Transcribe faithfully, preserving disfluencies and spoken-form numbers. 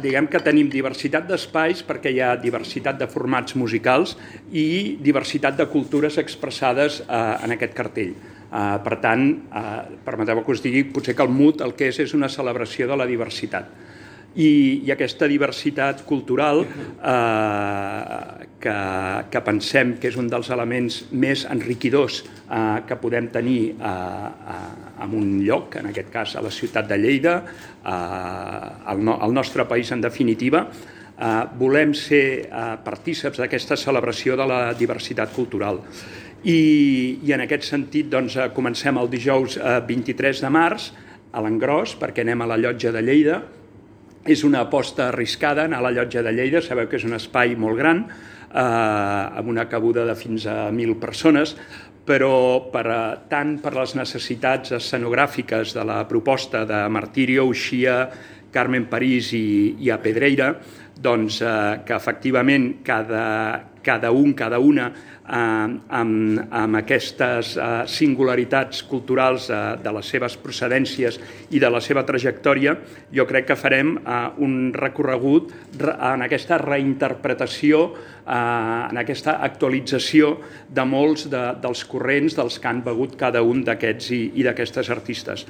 Diguem que tenim diversitat d'espais perquè hi ha diversitat de formats musicals i diversitat de cultures expressades eh, en aquest cartell. Eh, per tant, eh, permeteu que us digui, potser que el M U T el que és és una celebració de la diversitat. I, i aquesta diversitat cultural eh, que, que pensem que és un dels elements més enriquidors eh, que podem tenir eh, eh, en un lloc, en aquest cas a la ciutat de Lleida, eh, al, no, al nostre país en definitiva, eh, volem ser eh, partíceps d'aquesta celebració de la diversitat cultural. I, i en aquest sentit doncs, comencem el dijous eh, vint-i-tres de març a l'Engròs, perquè anem a la Llotja de Lleida. És una aposta arriscada anar a la Llotja de Lleida, sabeu que és un espai molt gran, eh, amb una cabuda de fins a mil persones, però per, tant per les necessitats escenogràfiques de la proposta de Martirio, Uxia, Carmen París i, i a Pedreira, doncs eh, que efectivament cada, cada un, cada una, eh, amb, amb aquestes eh, singularitats culturals eh, de les seves procedències i de la seva trajectòria, jo crec que farem eh, un recorregut en aquesta reinterpretació, eh, en aquesta actualització de molts de, dels corrents dels que han begut cada un d'aquests i, i d'aquestes artistes.